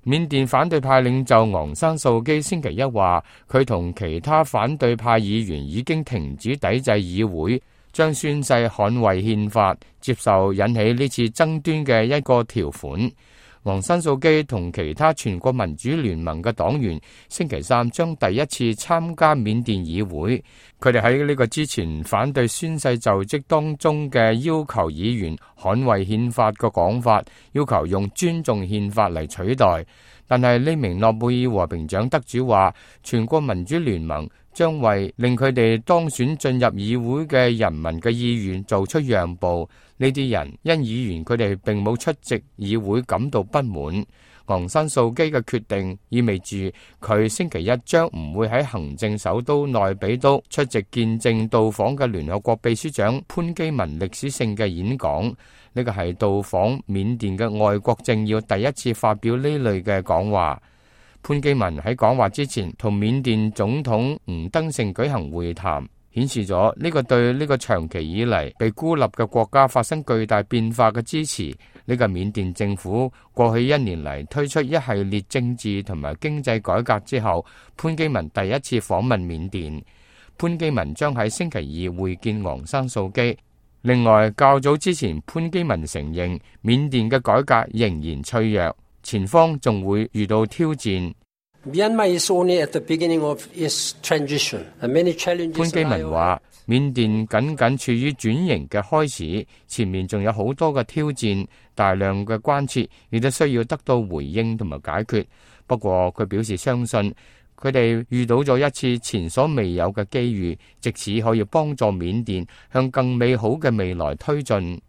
緬甸反對派領袖昂山素基星期一話，佢同其他反對派議員已經停止抵制議會，將宣誓捍衛憲法，接受引起呢次爭端嘅一個條款。昂山素基同其他全國民主聯盟嘅黨員星期三將第一次參加緬甸議會。佢哋喺呢個之前反對宣誓就職當中嘅要求議員捍衛憲法嘅講法，要求用尊重憲法嚟取代。但係呢名諾貝爾和平獎得主話，全國民主聯盟將為令佢哋當選進入議會嘅人民嘅意願做出讓步。呢啲人因議員佢哋並冇出席議會感到不滿。昂山素基嘅決定意味住佢星期一將唔會喺行政首都內比都出席見證到訪嘅聯合國秘書長潘基文歷史性嘅演講。呢個係到訪緬甸嘅外國政要第一次發表呢類嘅講話。潘基文喺講話之前同緬甸總統吳登盛舉行會談，顯示咗呢個對呢個長期以嚟被孤立嘅國家發生巨大變化嘅支持。呢個緬甸政府過去一年嚟推出一系列政治同埋經濟改革之後，潘基文第一次訪問緬甸。潘基文將喺星期二會見昂山素基。另外，較早之前，潘基文承認緬甸嘅改革仍然脆弱，前方仲會遇到挑戰。潘基文話：緬甸僅僅處於轉型嘅開始，前面仲有好多嘅挑戰，大量嘅關切亦都需要得到回應同埋解決。不過佢表示相信，佢哋遇到咗一次前所未有嘅機遇，藉此可以幫助緬甸向更美好嘅未來推進。